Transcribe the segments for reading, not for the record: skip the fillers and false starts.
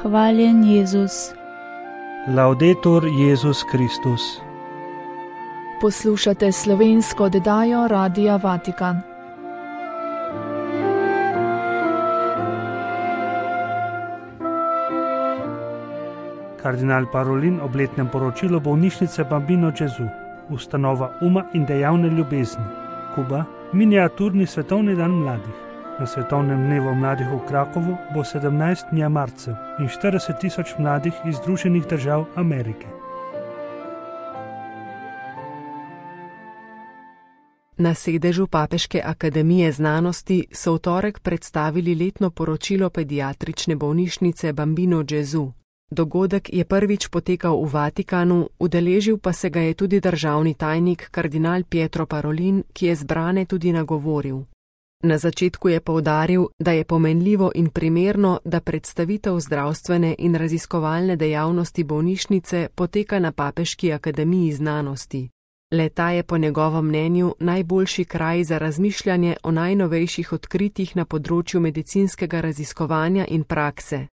Hvaljen Jezus. Laudetur Jezus Kristus. Poslušate slovensko oddajo Radia Vatikan. Kardinal Parolin ob letnem poročilu bolnišnice Bambino Gesù, ustanova uma in dejavne ljubezni, Kuba, miniaturni svetovni dan mladih. Na svetovnem dnevu mladih v Krakovu bo 17 marcev in 40.000 mladih iz Združenih držav Amerike. Na sedežu Papeške akademije znanosti so v torek predstavili letno poročilo pediatrične bolnišnice Bambino Gesù. Dogodek je prvič potekal v Vatikanu, udeležil pa se ga je tudi državni tajnik kardinal Pietro Parolin, ki je zbrane tudi nagovoril. Na začetku je poudaril, da je pomenljivo in primerno, da predstavitev zdravstvene in raziskovalne dejavnosti bolnišnice poteka na Papeški akademiji znanosti. Le-ta je po njegovem mnenju najboljši kraj za razmišljanje o najnovejših odkritjih na področju medicinskega raziskovanja in prakse.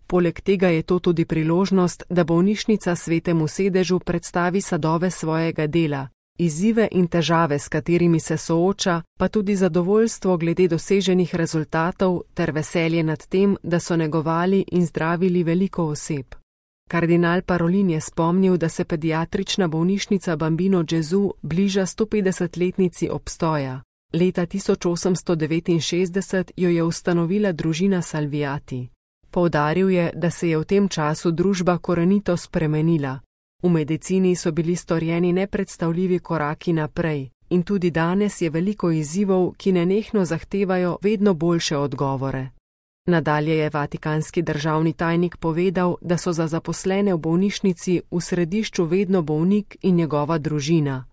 Poleg tega je to tudi priložnost, da bolnišnica Svetemu sedežu predstavi sadove svojega dela, izzive in težave, s katerimi se sooča, pa tudi zadovoljstvo glede doseženih rezultatov ter veselje nad tem, da so negovali in zdravili veliko oseb. Kardinal Parolin je spomnil, da se pediatrična bolnišnica Bambino Gesù bliža 150-letnici obstoja. Leta 1869 jo je ustanovila družina Salviati. Poudaril je, da se je v tem času družba korenito spremenila. V medicini so bili storjeni nepredstavljivi koraki naprej in tudi danes je veliko izzivov, ki nenehno zahtevajo vedno boljše odgovore. Nadalje je vatikanski državni tajnik povedal, da so za zaposlene v bolnišnici v središču vedno bolnik in njegova družina.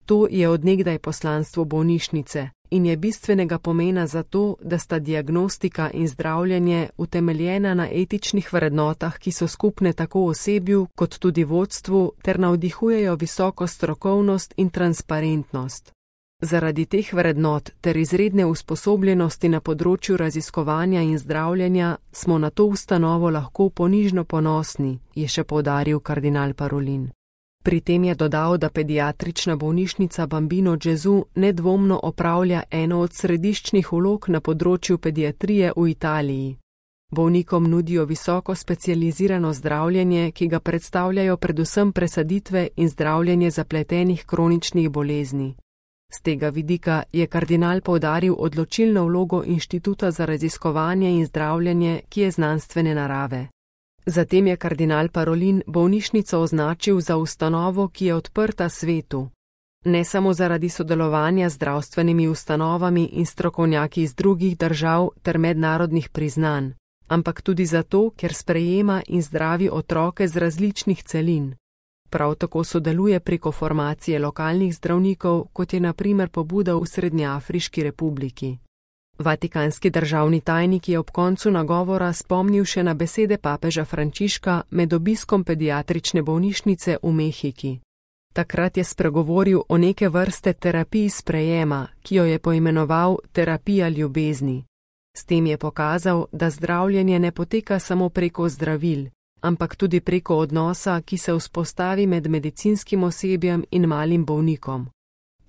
To je od nekdaj poslanstvo bolnišnice in je bistvenega pomena za to, da sta diagnostika in zdravljenje utemeljena na etičnih vrednotah, ki so skupne tako osebju kot tudi vodstvu ter navdihujejo visoko strokovnost in transparentnost. Zaradi teh vrednot ter izredne usposobljenosti na področju raziskovanja in zdravljenja smo na to ustanovo lahko ponižno ponosni, je še poudaril kardinal Parolin. Pri tem je dodal, da pediatrična bolnišnica Bambino Gesù nedvomno opravlja eno od središčnih vlog na področju pediatrije v Italiji. Bolnikom nudijo visoko specializirano zdravljenje, ki ga predstavljajo predvsem presaditve in zdravljenje zapletenih kroničnih bolezni. Z tega vidika je kardinal poudaril odločilno vlogo Inštituta za raziskovanje in zdravljenje, ki je znanstvene narave. Zatem je kardinal Parolin bolnišnico označil za ustanovo, ki je odprta svetu. Ne samo zaradi sodelovanja z zdravstvenimi ustanovami in strokovnjaki iz drugih držav ter mednarodnih priznanj, ampak tudi zato, ker sprejema in zdravi otroke z različnih celin. Prav tako sodeluje preko formacije lokalnih zdravnikov, kot je na primer pobuda v Srednjeafriški republiki. Vatikanski državni tajnik je ob koncu nagovora spomnil še na besede papeža Frančiška med obiskom pediatrične bolnišnice v Mehiki. Takrat je spregovoril o neke vrste terapiji sprejema, ki jo je poimenoval terapija ljubezni. S tem je pokazal, da zdravljenje ne poteka samo preko zdravil, ampak tudi preko odnosa, ki se vzpostavi med medicinskim osebjem in malim bolnikom.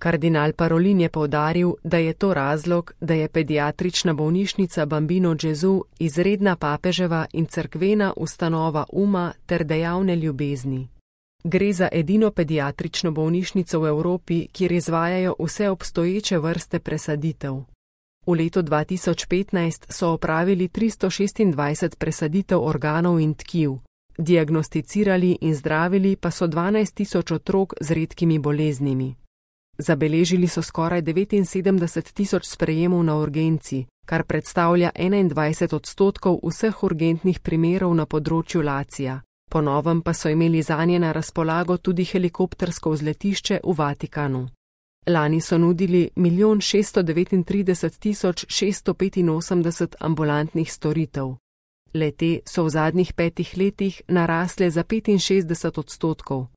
Kardinal Parolin je poudaril, da je to razlog, da je pediatrična bolnišnica Bambino Gesù izredna papeževa in cerkvena ustanova uma ter dejavne ljubezni. Gre za edino pediatrično bolnišnico v Evropi, kjer izvajajo vse obstoječe vrste presaditev. V letu 2015 so opravili 326 presaditev organov in tkiv, diagnosticirali in zdravili pa so 12.000 otrok z redkimi boleznimi. Zabeležili so skoraj 79.000 sprejemov na urgenci, kar predstavlja 21% vseh urgentnih primerov na področju Lacija. Po novem pa so imeli zanje na razpolago tudi helikoptersko vzletišče v Vatikanu. Lani so nudili 1.639.685 ambulantnih storitev. Le-te so v zadnjih 5 letih narasle za 65%.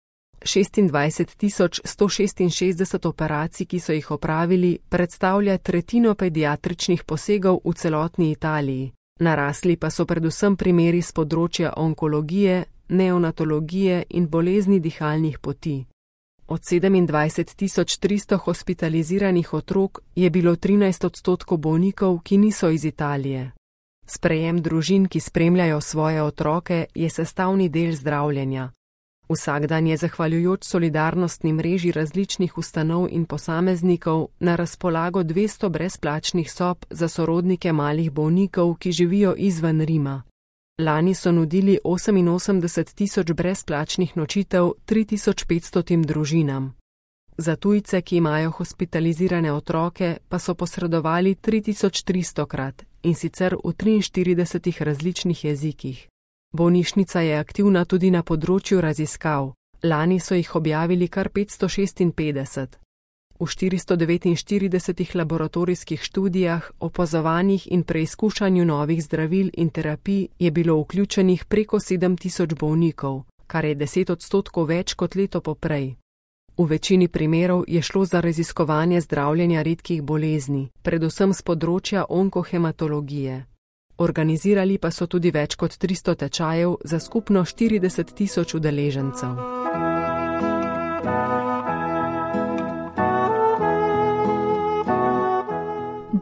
26.166 operacij, ki so jih opravili, predstavlja tretjino pediatričnih posegov v celotni Italiji, Narasli pa so predvsem primeri z področja onkologije, neonatologije in bolezni dihalnih poti. Od 27.300 hospitaliziranih otrok je bilo 13% bolnikov, ki niso iz Italije. Sprejem družin, ki spremljajo svoje otroke, je sestavni del zdravljenja. Vsak dan je zahvaljujoč solidarnostni mreži različnih ustanov in posameznikov na razpolago 200 brezplačnih sob za sorodnike malih bolnikov, ki živijo izven Rima. Lani so nudili 88.000 brezplačnih nočitev 3.500 družinam. Za tujce, ki imajo hospitalizirane otroke, pa so posredovali 3.300krat, in sicer v 43 različnih jezikih. Bolnišnica je aktivna tudi na področju raziskav. Lani so jih objavili kar 556. V 449 laboratorijskih študijah, opazovanjih in preizkušanju novih zdravil in terapij je bilo vključenih preko 7.000 bolnikov, kar je 10% več kot leto poprej. V večini primerov je šlo za raziskovanje zdravljenja redkih bolezni, predvsem z področja onkohematologije. Organizirali pa so tudi več kot 300 tečajev za skupno 40.000 udeležencev.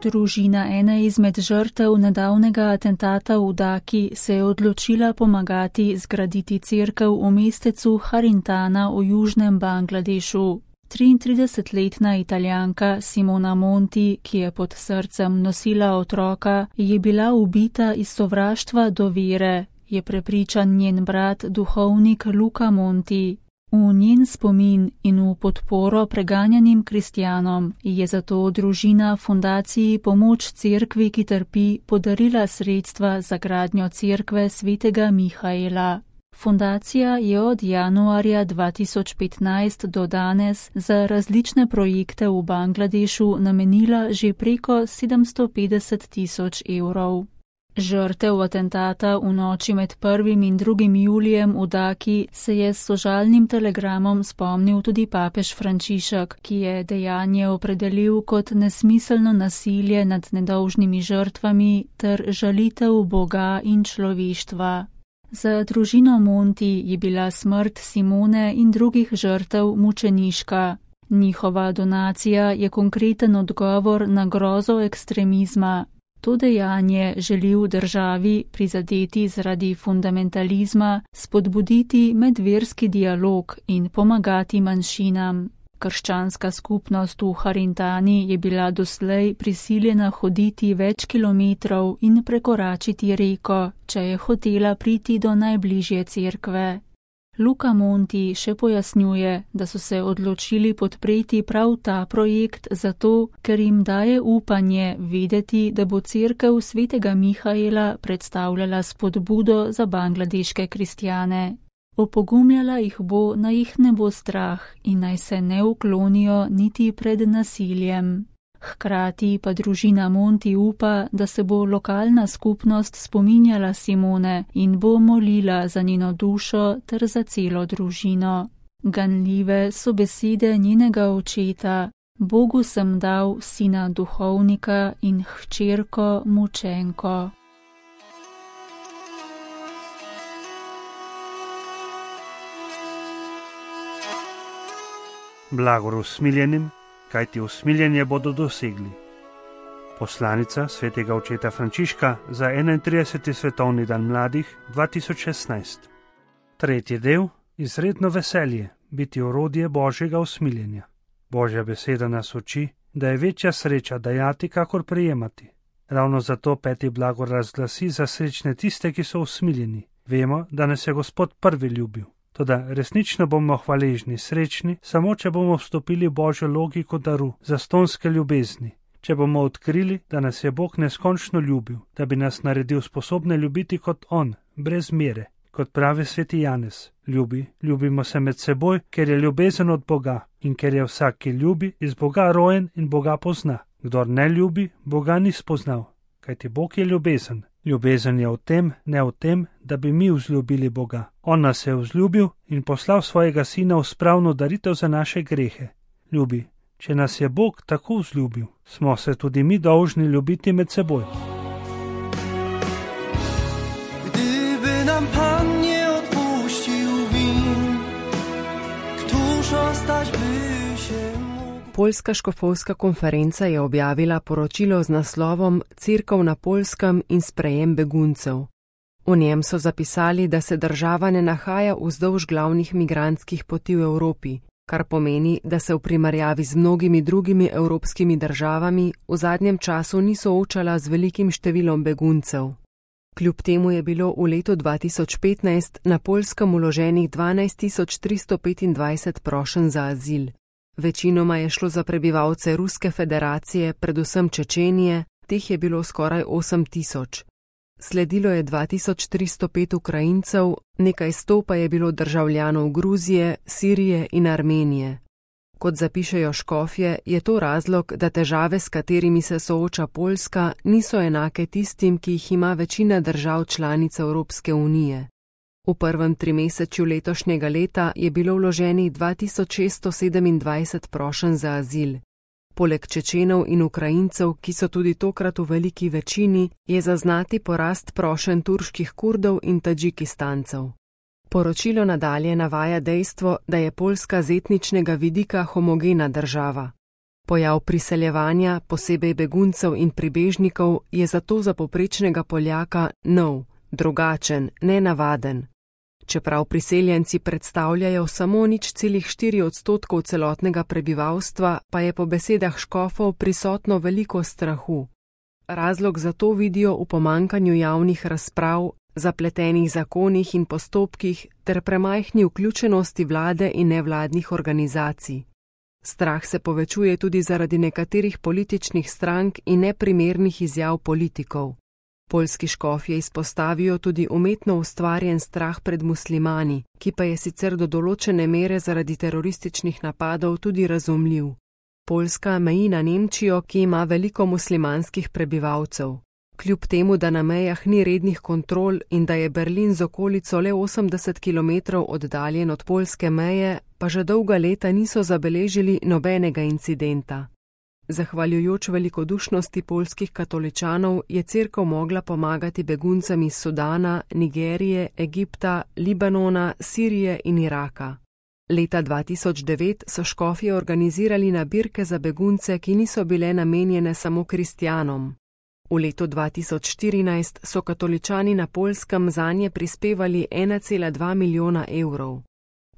Družina ene izmed žrtev nedavnega atentata v Daki se je odločila pomagati zgraditi cerkev v mestecu Harintana v južnem Bangladešu. 33-letna Italijanka Simona Monti, ki je pod srcem nosila otroka, je bila ubita iz sovraštva do vere, je prepričan njen brat, duhovnik Luca Monti. V njen spomin in v podporo preganjanim kristjanom je zato družina fundaciji Pomoč cerkvi, ki trpi, podarila sredstva za gradnjo cerkve svetega Mihaela. Fundacija je od januarja 2015 do danes za različne projekte v Bangladešu namenila že preko 750.000 evrov. Žrtev atentata v noči med 1. in 2. julijem v Daki se je s sožalnim telegramom spomnil tudi papež Frančišek, ki je dejanje opredelil kot nesmiselno nasilje nad nedolžnimi žrtvami ter žalitev Boga in človeštva. Za družino Monti je bila smrt Simone in drugih žrtev mučeniška. Njihova donacija je konkreten odgovor na grozo ekstremizma. To dejanje želi v državi, prizadeti zaradi fundamentalizma, spodbuditi medverski dialog in pomagati manjšinam. Krščanska skupnost v Harintani je bila doslej prisiljena hoditi več kilometrov in prekoračiti reko, če je hotela priti do najbližje cerkve. Luca Monti še pojasnjuje, da so se odločili podpreti prav ta projekt zato, ker jim daje upanje vedeti, da bo cerkev svetega Mihaela predstavljala spodbudo za bangladeške kristjane. Opogumljala jih bo, naj jih ne bo strah in naj se ne uklonijo niti pred nasiljem. Hkrati pa družina Monti upa, da se bo lokalna skupnost spominjala Simone in bo molila za njeno dušo ter za celo družino. Ganljive so besede njenega očeta: Bogu sem dal sina duhovnika in hčerko mučenko. Blagor usmiljenim, kajti usmiljenje bodo dosegli. Poslanica svetega očeta Frančiška za 31. svetovni dan mladih 2016. Tretji del: izredno veselje, biti orodje Božjega usmiljenja. Božja beseda nas uči, da je večja sreča dajati, kakor prejemati. Ravno zato peti blagor razglasi za srečne tiste, ki so usmiljeni. Vemo, da nas je Gospod prvi ljubil. Toda resnično bomo hvaležni, srečni, samo če bomo vstopili Božjo logiko daru zastonske ljubezni. Če bomo odkrili, da nas je Bog neskončno ljubil, da bi nas naredil sposobne ljubiti kot On, brez mere. Kot pravi sveti Janez, ljubimo se med seboj, ker je ljubezen od Boga in ker je vsak, ki ljubi, iz Boga rojen in Boga pozna. Kdor ne ljubi, Boga ni spoznal, kajti Bog je ljubezen. Ljubezen je v tem, ne v tem, da bi mi vzljubili Boga. On nas je vzljubil in poslal svojega sina v spravno daritev za naše grehe. Ljubi, če nas je Bog tako vzljubil, smo se tudi mi dolžni ljubiti med seboj. nam Pan nie odpuścił win, któż ostać by się mógł. Poljska škofovska konferenca je objavila poročilo z naslovom Cerkev na Poljskem in sprejem beguncev. V njem so zapisali, da se država ne nahaja vzdolž glavnih migrantskih poti v Evropi, kar pomeni, da se v primerjavi z mnogimi drugimi evropskimi državami v zadnjem času ni soočala z velikim številom beguncev. Kljub temu je bilo v letu 2015 na Poljskem vloženih 12.325 prošenj za azil. Večinoma je šlo za prebivalce Ruske federacije, predvsem Čečenije, teh je bilo skoraj 8.000. Sledilo je 2305 Ukrajincev, nekaj 100 pa je bilo državljanov Gruzije, Sirije in Armenije. Kot zapišejo škofje, je to razlog, da težave, s katerimi se sooča Poljska, niso enake tistim, ki jih ima večina držav članic Evropske unije. V prvem trimesečju letošnjega leta je bilo vloženih 2627 prošenj za azil. Poleg Čečenov in Ukrajincev, ki so tudi tokrat v veliki večini, je zaznati porast prošenj turških Kurdov in Tadžikistancev. Poročilo nadalje navaja dejstvo, da je Poljska z etničnega vidika homogena država. Pojav priseljevanja, posebej beguncev in pribežnikov, je zato za povprečnega Poljaka nov, drugačen, nenavaden. Čeprav priseljenci predstavljajo samo 0,4% celotnega prebivalstva, pa je po besedah škofov prisotno veliko strahu. Razlog za to vidijo v pomanjkanju javnih razprav, zapletenih zakonih in postopkih ter premajhni vključenosti vlade in nevladnih organizacij. Strah se povečuje tudi zaradi nekaterih političnih strank in neprimernih izjav politikov. Poljski škofje izpostavijo tudi umetno ustvarjen strah pred muslimani, ki pa je sicer do določene mere zaradi terorističnih napadov tudi razumljiv. Poljska meji na Nemčijo, ki ima veliko muslimanskih prebivalcev. Kljub temu, da na mejah ni rednih kontrol in da je Berlin z okolico le 80 km oddaljen od poljske meje, pa že dolga leta niso zabeležili nobenega incidenta. Zahvaljujoč velikodušnosti poljskih katoličanov je cerkev mogla pomagati beguncem iz Sudana, Nigerije, Egipta, Libanona, Sirije in Iraka. Leta 2009 so škofje organizirali nabirke za begunce, ki niso bile namenjene samo kristjanom. V letu 2014 so katoličani na Poljskem zanje prispevali 1,2 milijona evrov.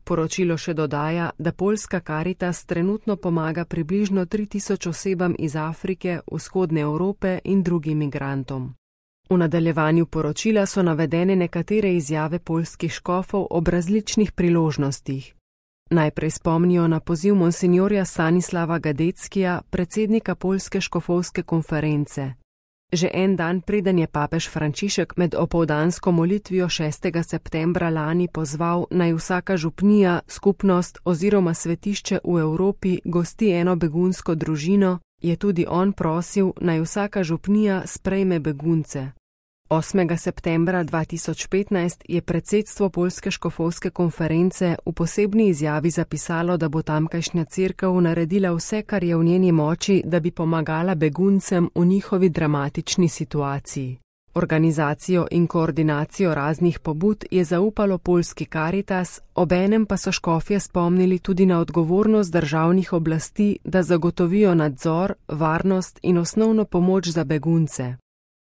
Poročilo še dodaja, da poljska Karitas trenutno pomaga približno 3000 osebam iz Afrike, vzhodne Evrope in drugim migrantom. V nadaljevanju poročila so navedene nekatere izjave poljskih škofov ob različnih priložnostih. Najprej spomnijo na poziv monsinjorja Stanislava Gadeckija, predsednika Poljske škofovske konference. Že en dan preden je papež Frančišek med opoldansko molitvijo 6. septembra lani pozval, naj vsaka župnija, skupnost oziroma svetišče v Evropi gosti eno begunsko družino, je tudi on prosil, naj vsaka župnija sprejme begunce. 8. septembra 2015 je predsedstvo Poljske škofovske konference v posebni izjavi zapisalo, da bo tamkajšnja cerkev naredila vse, kar je v njeni moči, da bi pomagala beguncem v njihovi dramatični situaciji. Organizacijo in koordinacijo raznih pobud je zaupalo poljski Karitas, obenem pa so škofje spomnili tudi na odgovornost državnih oblasti, da zagotovijo nadzor, varnost in osnovno pomoč za begunce.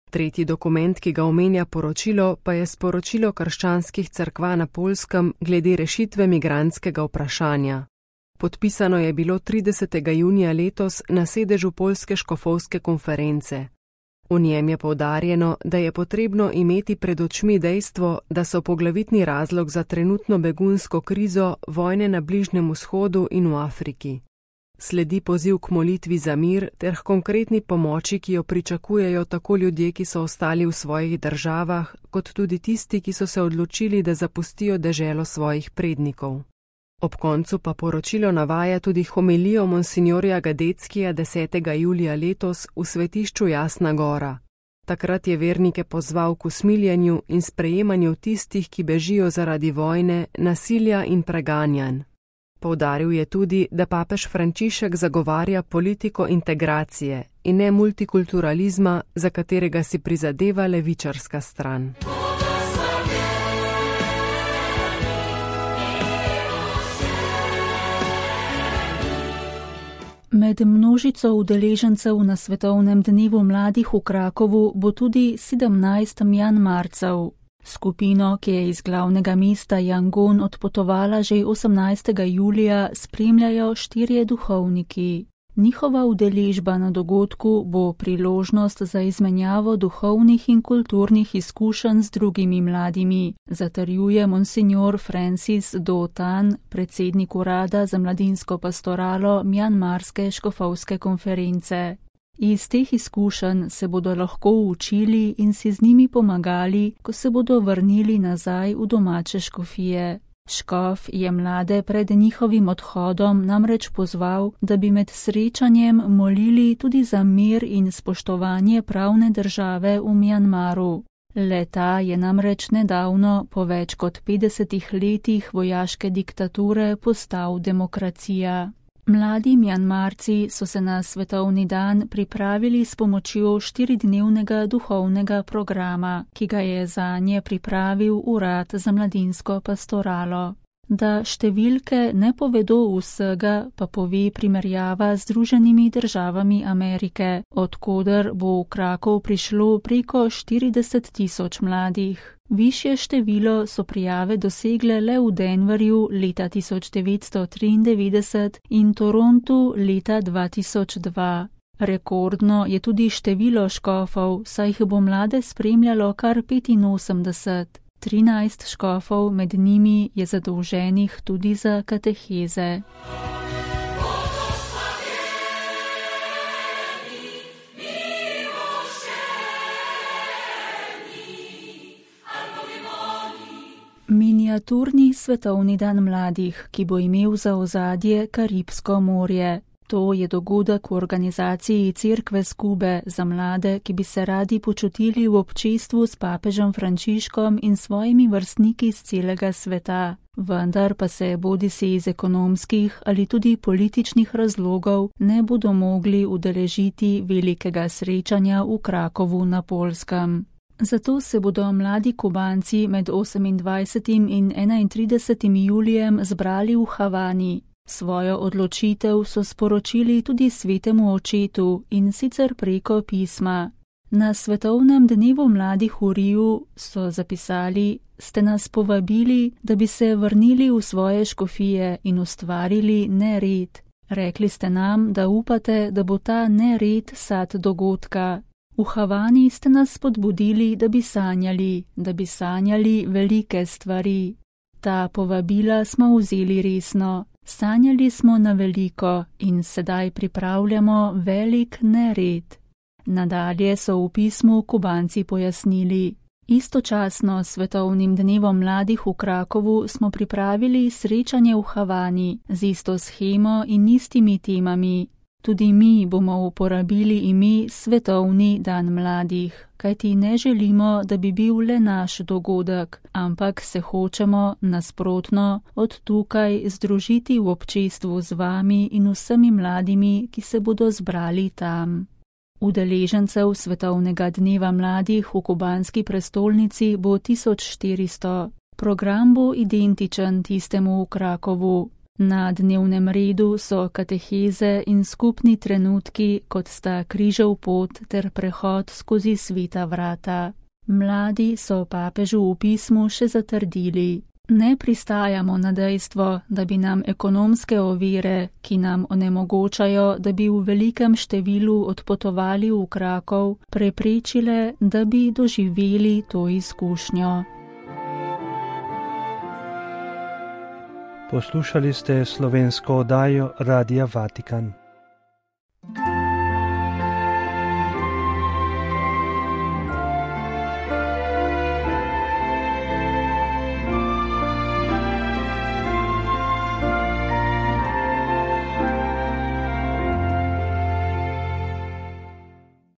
Tretji dokument, ki ga omenja poročilo, pa je sporočilo krščanskih cerkva na Poljskem glede rešitve migrantskega vprašanja. Podpisano je bilo 30. junija letos na sedežu Poljske škofovske konference. V njem je poudarjeno, da je potrebno imeti pred očmi dejstvo, da so poglavitni razlog za trenutno begunsko krizo vojne na Bližnjem vzhodu in v Afriki. Sledi poziv k molitvi za mir ter k konkretni pomoči, ki jo pričakujejo tako ljudje, ki so ostali v svojih državah, kot tudi tisti, ki so se odločili, da zapustijo deželo svojih prednikov. Ob koncu pa poročilo navaja tudi homilijo monsinjorja Gadeckija 10. julija letos v svetišču Jasna Gora. Takrat je vernike pozval k usmiljenju in sprejemanju tistih, ki bežijo zaradi vojne, nasilja in preganjanj. Poudaril je tudi, da papež Frančišek zagovarja politiko integracije in ne multikulturalizma, za katerega si prizadeva levičarska stran. Med množico udeležencev na Svetovnem dnevu mladih v Krakovu bo tudi 17 Mjanmarcev. Skupino, ki je iz glavnega mesta Yangon odpotovala že 18. julija, spremljajo 4 duhovniki. Njihova udeležba na dogodku bo priložnost za izmenjavo duhovnih in kulturnih izkušenj z drugimi mladimi, zatrjuje monsignor Francis Do Tan, predsednik urada za mladinsko pastoralo Mjanmarske škofovske konference. Iz teh izkušenj se bodo lahko učili in si z njimi pomagali, ko se bodo vrnili nazaj v domače škofije. Škof je mlade pred njihovim odhodom namreč pozval, da bi med srečanjem molili tudi za mir in spoštovanje pravne države v Mjanmaru. Le-ta je namreč nedavno, po več kot 50 letih vojaške diktature, postal demokracija. Mladi Mjanmarci so se na svetovni dan pripravili s pomočjo 4-dnevnega duhovnega programa, ki ga je zanje pripravil Urad za mladinsko pastoralo. Da številke ne povedo vsega, pa pove primerjava z Združenimi državami Amerike, od koder bo v Krakov prišlo preko 40 000 mladih. Višje število so prijave dosegle le v Denverju leta 1993 in Torontu leta 2002. Rekordno je tudi število škofov, saj jih bo mlade spremljalo kar 85. 13 škofov med njimi je zadolženih tudi za kateheze. Miniaturni svetovni dan mladih, ki bo imel za ozadje Karibsko morje. To je dogodek v organizaciji Cerkve s Kube za mlade, ki bi se radi počutili v občestvu s papežem Frančiškom in svojimi vrstniki z celega sveta. Vendar pa se bodisi iz ekonomskih ali tudi političnih razlogov ne bodo mogli udeležiti velikega srečanja v Krakovu na Poljskem. Zato se bodo mladi Kubanci med 28. in 31. julijem zbrali v Havani. Svojo odločitev so sporočili tudi svetemu očetu, in sicer preko pisma. Na Svetovnem dnevu mladih v Riju so zapisali: ste nas povabili, da bi se vrnili v svoje škofije in ustvarili nered. Rekli ste nam, da upate, da bo ta nered sad dogodka. V Havani ste nas spodbudili, da bi sanjali velike stvari. Ta povabila smo vzeli resno. Sanjali smo na veliko in sedaj pripravljamo velik nered. Nadalje so v pismu Kubanci pojasnili: istočasno s Svetovnim dnevom mladih v Krakovu smo pripravili srečanje v Havani z isto shemo in istimi temami. Tudi mi bomo uporabili ime Svetovni dan mladih, kajti ne želimo, da bi bil le naš dogodek, ampak se hočemo, nasprotno, od tukaj združiti v občestvu z vami in vsemi mladimi, ki se bodo zbrali tam. Udeležencev Svetovnega dneva mladih v kubanski prestolnici bo 1400. Program bo identičen tistemu v Krakovu. Na dnevnem redu so kateheze in skupni trenutki, kot sta križev pot ter prehod skozi sveta vrata. Mladi so papežu v pismu še zatrdili: ne pristajamo na dejstvo, da bi nam ekonomske ovire, ki nam onemogočajo, da bi v velikem številu odpotovali v Krakov, preprečile, da bi doživeli to izkušnjo. Poslušali ste slovensko oddajo Radia Vatikan.